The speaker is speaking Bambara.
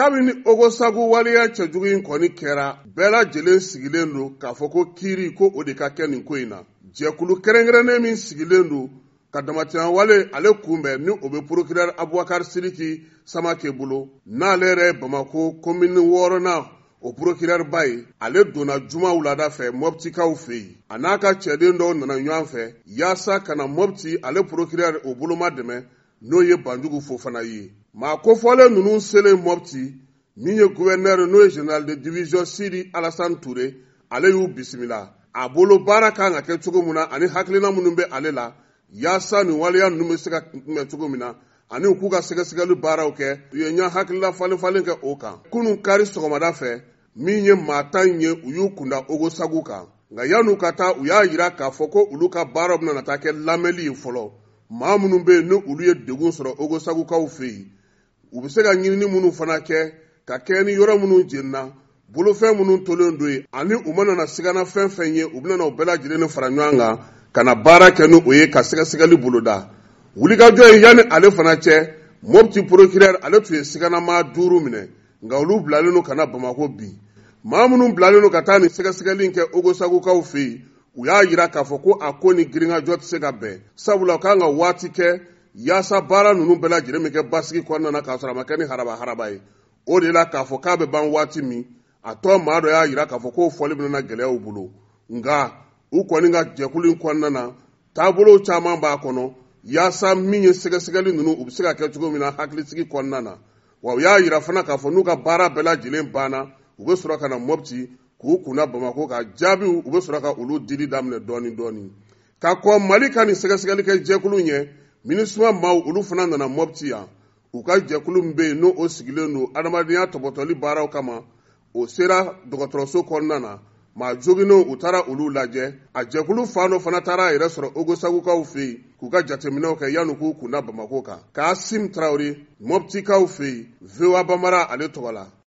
Kabini Ogosagu waleya cɛjugu in kɔni kɛra, bɛɛ lajɛlen sigilen don k'a fɔ ko kiiri ko o de ka kɛ nin ko in na. Jɛkulu kɛrɛnkɛrɛnnen min sigilen don ka damatɛmɛwale ale kunbɛn, ni o bɛ procureur Abubakar Sidiki Samake bolo, n'ale yɛrɛ ye Bamakɔ komini wɔɔrɔnan o procureur ba ye, ale donna juma wulada fɛ Mɔptikaw fɛ yen. A n'a ka cɛden dɔw nana ɲɔgɔn fɛ yaasa ka na Mɔpti ale procureur o boloma dɛmɛ, n'o ye Banjugu Fofana ye. Maa kofɔlen ninnu selen Mɔpti, min ye gouverneur n'o ye général de division Sidi Alassane Touré, ale y'u bisimila. A bolo baara kan ka kɛ cogo min na ani hakilina minnu bɛ ale la yaasa nin waleya ninnu bɛ se ka kunbɛn cogo min na ani u k'u ka sɛgɛsɛgɛli baaraw kɛ, u ye ɲɛ hakilila falen falen kɛ o kan. Kunun kari sɔgɔmada fɛ, min ye maa 10 ye, u y'u kunda Ogosagu kan. Nka yan'u ka taa, u y'a jira k'a fɔ ko olu ka baaraw bɛna taa kɛ lamɛnli ye fɔlɔ. Maa minnu bɛ yen ni olu ye degun sɔrɔ Ogosagukaw fɛ yen, u bɛ se ka ɲinini minnu fana kɛ ka kɛɲɛ ni yɔrɔ minnu jenina, bolofɛn minnu tolen don yen, ani u mana na sigana fɛn fɛn ye, u bɛna o bɛɛ lajɛlen fara ɲɔgɔn kan ka na baara kɛ ni o ye ka sɛgɛsɛgɛli boloda. Wulikajɔ ye yanni ale fana cɛ, Mopti procureur ale tun ye siganamaa 5 minɛ, nka olu bilalen don ka na Bamakɔ bi. Maa minnu bilalen don ka taa nin sɛgɛsɛgɛli in kɛ Ogosagukaw fɛ yen, u y'a jira k'a fɔ ko a ko ni girinkajɔ tɛ se ka bɛn, sabula u kan ka waati kɛ yaasa baara ninnu bɛɛ lajɛlen bɛ kɛ basigi kɔnɔna na k'a sɔrɔ a ma kɛ ni haraba haraba ye. O de la k'a fɔ k'a bɛ ban waati min, a tɔ maa dɔ y'a jira k'a fɔ k'o fɔli bɛna na gɛlɛyaw bolo. Nka u kɔni ka jɛkulu in kɔnɔna na, taabolo caman b'a kɔnɔ yaasa min ye sɛgɛsɛgɛli ninnu u bɛ se ka kɛ cogo min na hakilisigi kɔnɔna na. Wa u y'a jira fana k'a fɔ n'u ka baara bɛɛ lajɛlen banna, u bɛ sɔrɔ ka na Mopti k'u kunna Bamakɔ ka jaabiw, u bɛ sɔrɔ ka olu dili daminɛ dɔɔni dɔɔni. Ka kɔn Mali ka nin sɛgɛsɛgɛli kɛ jɛkulu ɲɛ, MINUSMA maaw olu fana nana Mopti yan. U ka jɛkulu min bɛ yen n'o sigilen don adamadenya tɔpɔtɔli baaraw kama, o sera dɔgɔtɔrɔso kɔnɔna na. Maa joginnenw u taara olu lajɛ. A jɛkulu fan dɔ fana taara a yɛrɛ sɔrɔ Ogosagukaw fɛ yen k'u ka jateminɛw kɛ yanni k'u kunda Bamakɔ kan. Kasim Tarawele, Moptikaw fɛ yen, VOA Bambara ale tɔgɔ la.